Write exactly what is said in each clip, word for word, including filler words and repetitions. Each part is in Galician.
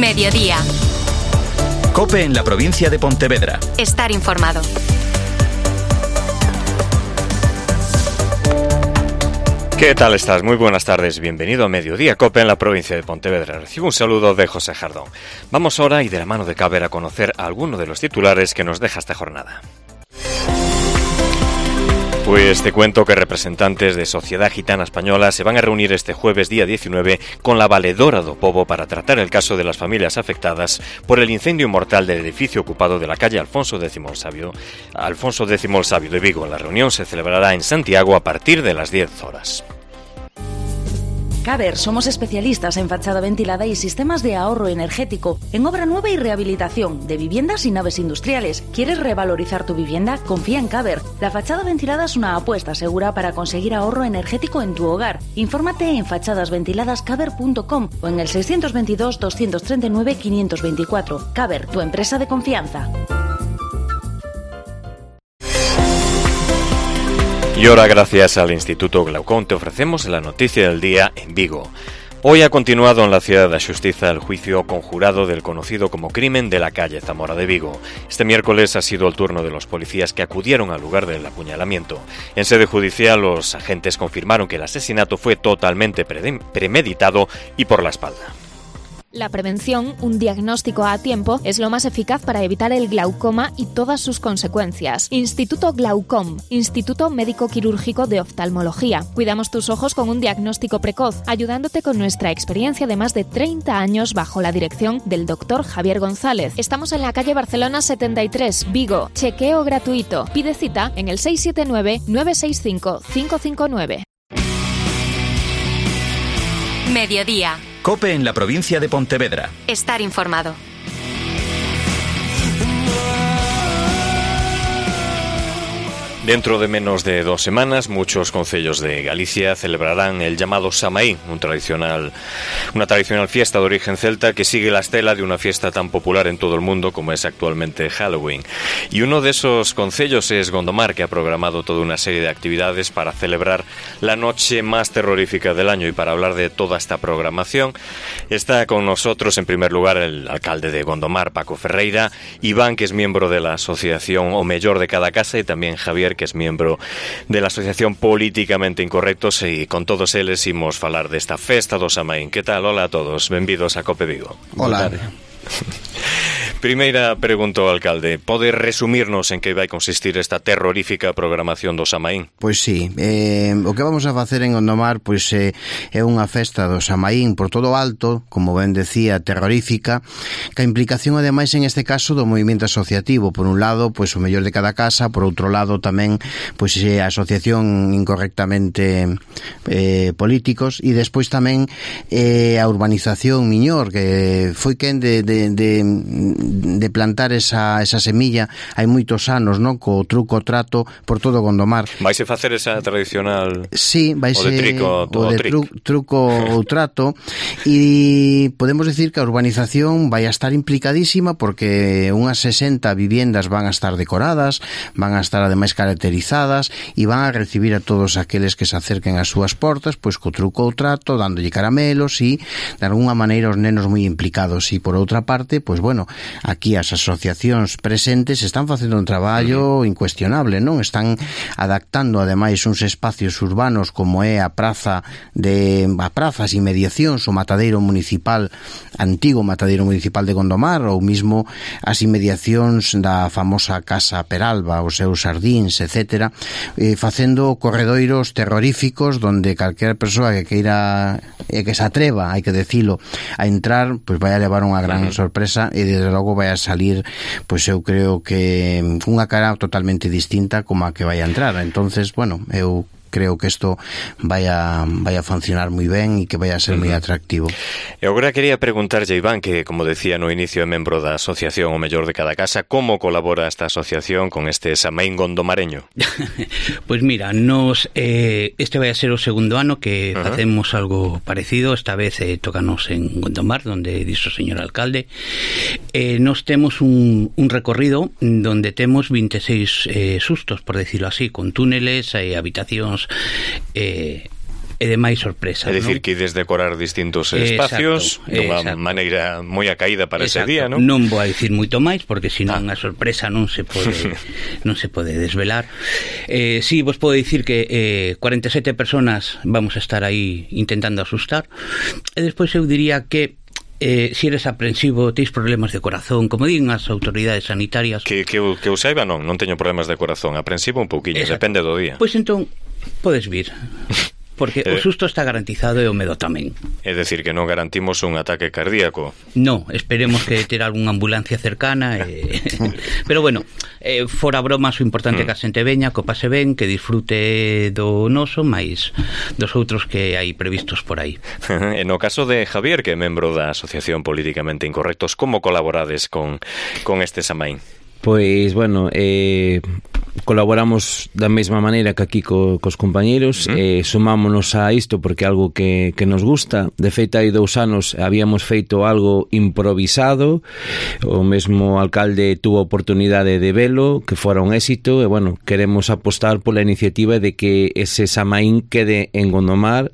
Mediodía. COPE en la provincia de Pontevedra. Estar informado. ¿Qué tal estás? Muy buenas tardes. Bienvenido a Mediodía COPE en la provincia de Pontevedra. Recibo un saludo de José Jardón. Vamos ahora y de la mano de Caber a conocer a alguno de los titulares que nos deja esta jornada. Pues te cuento que representantes de Sociedad Gitana Española se van a reunir este jueves día diecinueve con la Valedora do Pobo para tratar el caso de las familias afectadas por el incendio mortal del edificio ocupado de la calle Alfonso X el Sabio, Alfonso X el Sabio de Vigo. La reunión se celebrará en Santiago a partir de las diez horas. Caber, somos especialistas en fachada ventilada y sistemas de ahorro energético, en obra nueva y rehabilitación de viviendas y naves industriales. ¿Quieres revalorizar tu vivienda? Confía en Caber. La fachada ventilada es una apuesta segura para conseguir ahorro energético en tu hogar. Infórmate en fachades ventiladas caber punto com o en el seiscientos veintidós, doscientos treinta y nueve, quinientos veinticuatro. Caber, tu empresa de confianza. Y ahora, gracias al Instituto Glaucón, te ofrecemos la noticia del día en Vigo. Hoy ha continuado en la Ciudad da Xustiza el juicio conjurado del conocido como crimen de la calle Zamora de Vigo. Este miércoles ha sido el turno de los policías que acudieron al lugar del apuñalamiento. En sede judicial, los agentes confirmaron que el asesinato fue totalmente premeditado y por la espalda. La prevención, un diagnóstico a tiempo, es lo más eficaz para evitar el glaucoma y todas sus consecuencias. Instituto Glaucom, Instituto Médico Quirúrgico de Oftalmología. Cuidamos tus ojos con un diagnóstico precoz, ayudándote con nuestra experiencia de más de treinta años bajo la dirección del doctor Javier González. Estamos en la calle Barcelona setenta y tres, Vigo. Chequeo gratuito. Pide cita en el seis siete nueve, nueve seis cinco, cinco cinco nueve. Mediodía. COPE en la provincia de Pontevedra. Estar informado. Dentro de menos de dos semanas, muchos concellos de Galicia celebrarán el llamado Samaín, un tradicional, una tradicional fiesta de origen celta que sigue la estela de una fiesta tan popular en todo el mundo como es actualmente Halloween. Y uno de esos concellos es Gondomar, que ha programado toda una serie de actividades para celebrar la noche más terrorífica del año. Y para hablar de toda esta programación, está con nosotros en primer lugar el alcalde de Gondomar, Paco Ferreira, Iván, que es miembro de la asociación O Mellor de Cada Casa, y también Javier, que es miembro de la Asociación Políticamente Incorrectos, e con todos eles imos falar desta festa do Samaín. Que tal? Hola a todos, benvidos a COPE Vigo. Hola. Primeira pregunta ao alcalde, pode resumirnos en que vai consistir esta terrorífica programación do Samaín? Pois sí, eh, o que vamos a facer en Gondomar pois eh, é unha festa do Samaín por todo o alto, como ben decía, terrorífica, que a implicación ademais en este caso do movimento asociativo, por un lado, pois o mellor de cada casa, por outro lado tamén pois a asociación incorrectamente eh, políticos, e despois tamén eh, a urbanización Miñor, que foi quen de, de, de de plantar esa, esa semilla hai moitos anos, non? Co truco trato por todo Gondomar. Vaise facer esa tradicional sí, vaise, o de trico, o de tru, truco ou trato, e podemos decir que a urbanización vai a estar implicadísima porque unhas sesenta viviendas van a estar decoradas, van a estar ademais caracterizadas e van a recibir a todos aqueles que se acerquen ás súas portas pois co truco ou trato, dándolle caramelos e de alguna maneira os nenos moi implicados. E por outra parte, pois bueno, aquí as asociacións presentes están facendo un traballo incuestionable, non? Están adaptando ademais uns espacios urbanos como é a praza de a prazas e inmediacións, o matadeiro municipal, antigo matadeiro municipal de Gondomar, ou mismo as inmediacións da famosa Casa Peralba, os seus sardíns, etcétera, eh, facendo corredoiros terroríficos donde calquera persoa que queira e eh, que se atreva, hai que decilo, a entrar, pois vai a levar unha gran uh-huh. sorpresa, e desde logo vai a salir, pois eu creo que unha cara totalmente distinta como a que vai a entrar. Entonces, bueno, eu creo que isto vai a, vai a funcionar moi ben e que vai a ser moi atractivo. E agora quería preguntarlle, Iván, que como decía no inicio é membro da asociación O Mellor de Cada Casa, como colabora esta asociación con este Samaín gondomareño? Pois pues mira, nos eh, este vai a ser o segundo ano que uh-huh. facemos algo parecido. Esta vez eh, tócanos en Gondomar, donde dixo o señor alcalde. Eh, nos temos un, un recorrido donde temos veintiséis eh, sustos, por decirlo así, con túneles e eh, habitacións Eh, e de máis sorpresa. É dicir, non? que ides decorar distintos espacios dunha maneira moi acaída para exacto. ese día, non? Non vou a dicir moito máis porque senón ah. a sorpresa non se pode non se pode desvelar. Eh, si, sí, vos podo dicir que eh, cuarenta e sete personas vamos a estar aí intentando asustar, e despois eu diría que Eh, si eres aprensivo, teis problemas de corazón, como din as autoridades sanitarias. Que, que, eu, que eu saiba, non, non teño problemas de corazón. Aprensivo un pouquiño, exacto. Depende do día. Pois entón, podes vir. Porque eh, o susto está garantizado e o medo tamén. É dicir, que non garantimos un ataque cardíaco. No, esperemos que ter algunha ambulancia cercana e... Pero bueno, eh, fora bromas, o importante é mm. que a xente veña, que o pase ben, que disfrute do noso, máis dos outros que hai previstos por aí. En o caso de Javier, que é membro da Asociación Políticamente Incorrectos, como colaborades con, con este Samaín? Pois, bueno, eh, colaboramos da mesma maneira que aquí co, cos compañeiros, uh-huh. eh, sumámonos a isto porque é algo que, que nos gusta. De feito, hai dous anos habíamos feito algo improvisado, o mesmo alcalde tuvo a oportunidade de velo, que fora un éxito, e, bueno, queremos apostar pola iniciativa de que ese Samaín quede en Gondomar,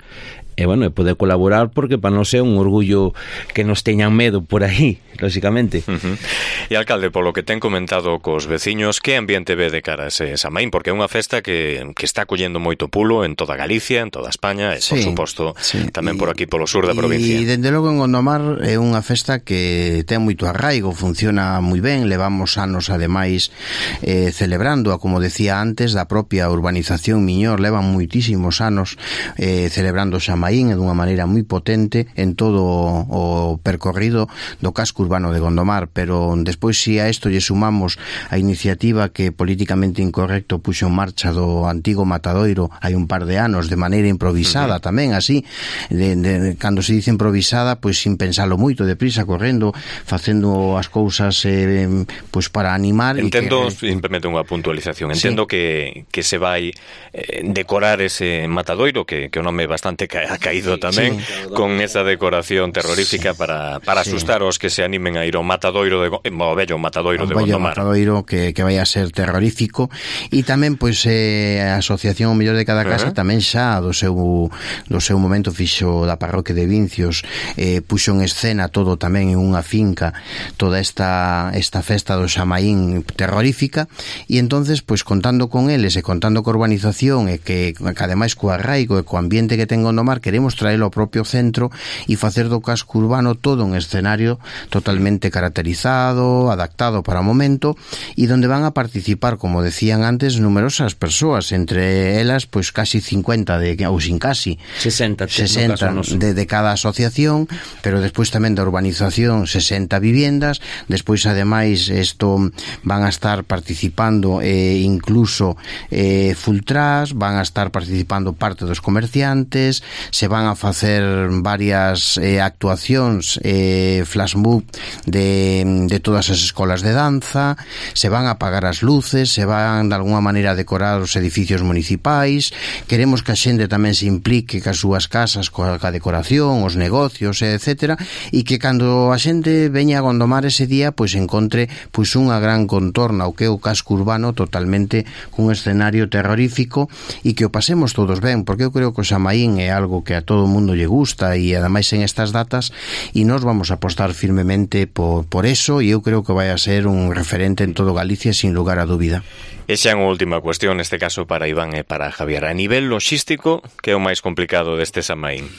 e, bueno, e poder colaborar, porque para nós é un orgullo que nos teñan medo por aí, lóxicamente. Uh-huh. E, alcalde, polo que ten comentado cos veciños, que ambiente ve de cara a ese Samaín? Porque é unha festa que, que está collendo moito pulo en toda Galicia, en toda España, e, sí, por suposto, sí. tamén por aquí polo sur da provincia. E, dende logo, en Gondomar é unha festa que ten moito arraigo, funciona moi ben, levamos anos, ademais, eh, celebrándoa, como decía antes, da propia urbanización Miñor, levan moitísimos anos eh, celebrando o Samaín e dunha maneira moi potente en todo o percorrido do casco urbano de Gondomar, pero despois, si a isto lle sumamos a iniciativa que Políticamente Incorrecto puxo en marcha do antigo Matadoiro hai un par de anos, de maneira improvisada, uh-huh. tamén así, de, de, cando se dice improvisada, pois sin pensalo moito, deprisa, correndo, facendo as cousas eh, pois para animar. Entendo, e que, simplemente unha puntualización, entendo sí. que, que se vai eh, decorar ese Matadoiro, que, que o nome é bastante ca ha caído tamén, sí, con esa decoración terrorífica sí. para, para sí. asustar os que se animen a ir ao Matadoiro de, o bello Matadoiro de Gondomar. Matadoiro que, que vai a ser terrorífico, e tamén pois eh, a Asociación O Mellor de Cada Casa uh-huh. tamén xa do seu do seu momento fixo da parroquia de Vincios, eh, puxo en escena todo tamén en unha finca, toda esta esta festa do Samaín terrorífica, e entonces pois contando con eles e contando co urbanización e que, que ademais co arraigo e co ambiente que ten Gondomar, queremos traelo ao propio centro e facer do casco urbano todo un escenario totalmente caracterizado, adaptado para o momento, e donde van a participar, como decían antes, numerosas persoas, entre elas, pois casi cincuenta, de, ou sin casi sesenta, sesenta de, de cada asociación, pero despois tamén da urbanización sesenta viviendas, despois ademais isto van a estar participando eh, incluso eh, Fultras, van a estar participando parte dos comerciantes, se van a facer varias eh, actuacións eh, flash mob de, de todas as escolas de danza, se van a apagar as luces, se van de alguna maneira a decorar os edificios municipais, queremos que a xente tamén se implique cas súas casas coa, coa decoración, os negocios, etcétera, e que cando a xente veña a Gondomar ese día, pois encontre pois unha gran contorna, o que é o casco urbano totalmente cun escenario terrorífico, e que o pasemos todos ben, porque eu creo que o Samaín é algo que a todo o mundo lle gusta, e ademais en estas datas, e nós vamos a apostar firmemente por, por eso, e eu creo que vai a ser un referente en todo Galicia sin lugar a dúbida. E xa unha última cuestión, neste caso para Iván e para Javier. A nivel logístico, que é o máis complicado deste Samaín?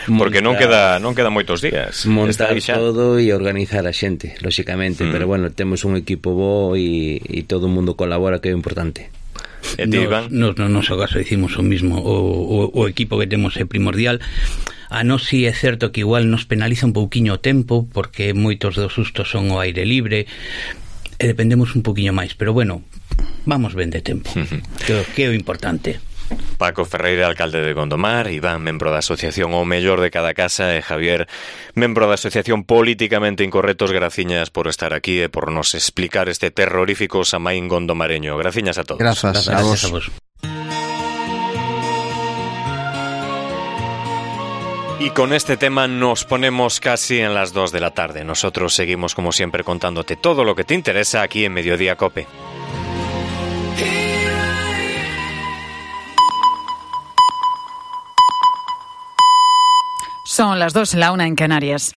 Porque non queda non queda moitos días. Montar todo e organizar a xente, lóxicamente, mm. pero bueno, temos un equipo bo e, e todo o mundo colabora, que é importante. E ti, Iván? Nos, no noso caso hicimos o mismo, o, o, o equipo que temos é primordial. A nos si é certo que igual nos penaliza un pouquiño o tempo, porque moitos dos sustos son ao aire libre, e dependemos un pouquiño máis, pero bueno, vamos ben de tempo, que, que é o importante. Paco Ferreira, alcalde de Gondomar, Iván, membro da Asociación O Mellor de Cada Casa, e Javier, membro da Asociación Políticamente Incorrectos. Graciñas por estar aquí e por nos explicar este terrorífico Samaín gondomareño. Graciñas a todos. Grazas, a vos. A vos. Y con este tema nos ponemos casi en las dos de la tarde. Nosotros seguimos, como siempre, contándote todo lo que te interesa aquí en Mediodía Cope. Son las dos, la una en Canarias.